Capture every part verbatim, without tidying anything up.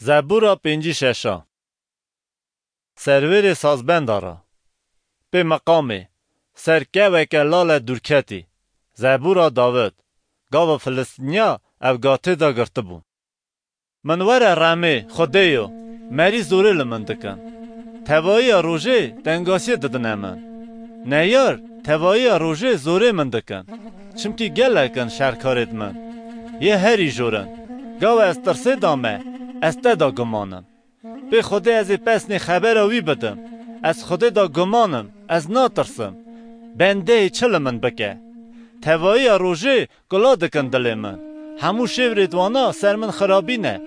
Zebûra pêncî şeşa. Serwêrê sazbenda ra. Pê meqamê, ser keweke lale dûrketî. Zebûra Dawid, gava Filistîniya ev gatê de girtibû. Min were remê, Xwedêyo, merî zorê li min dikin. Tevayiya rojê tengasiyê didine min. Neyar, tevayiya rojê zorê min dikin. Çimkî gelek in şerkarêd min. Yê herî jor in. Gawe ez tirsê da me, ez te da guman im. Pê Xwedê ez ê pesnê xebera wî bidim. Ez Xwedê da guman im, ez natirsim. Bendeyê çi li min bike? Tevayiya rojê gula dikin dilê min. Hemû şêvrêd wana ser min xirabî ne.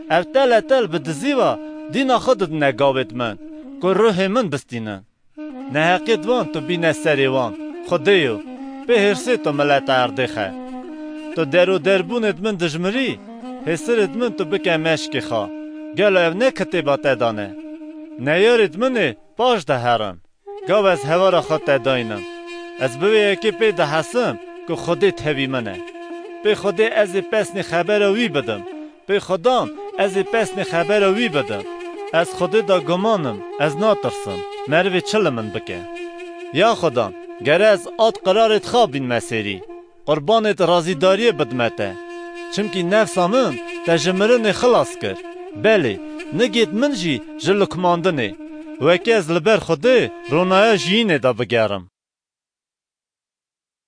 Ev tele tel bi dizî ve dîna xwe didine gavêd min, ku ruhê min bistînin. Neheqêd wan tu bîne serê wan, Xwedêyo, pê hêrsê tu mileta erdê xe. Tu der û derbûnêd min dijmirî, hêsirêd min tu bike meşkê xwe. Gelo ev ne kitêba te da ne? Neyarêd min ê paş de herin. Gav ez hevara xwe te daynim. Ez bi vê yekê pê dihesim ku Xwedê tevî min e. Pê Xwedê ez ê pesnê xebera wî bidim. Pê Xudan, ez ê pesnê xebera wî bidim. Ez Xwedê da guman im, ez natirsim. Merivê çi li min bike? Ya Xudan, gere ez ad qirarêd xa bînme sêrî. Qurbanêd razîdariyê bidme te. Çimkî nefsa min te ji mirinê xilas kir. Belê, nigêd min jî ji lukmandinê. Wekî ez li ber Xwedê ronaya jiyînê de bigerim.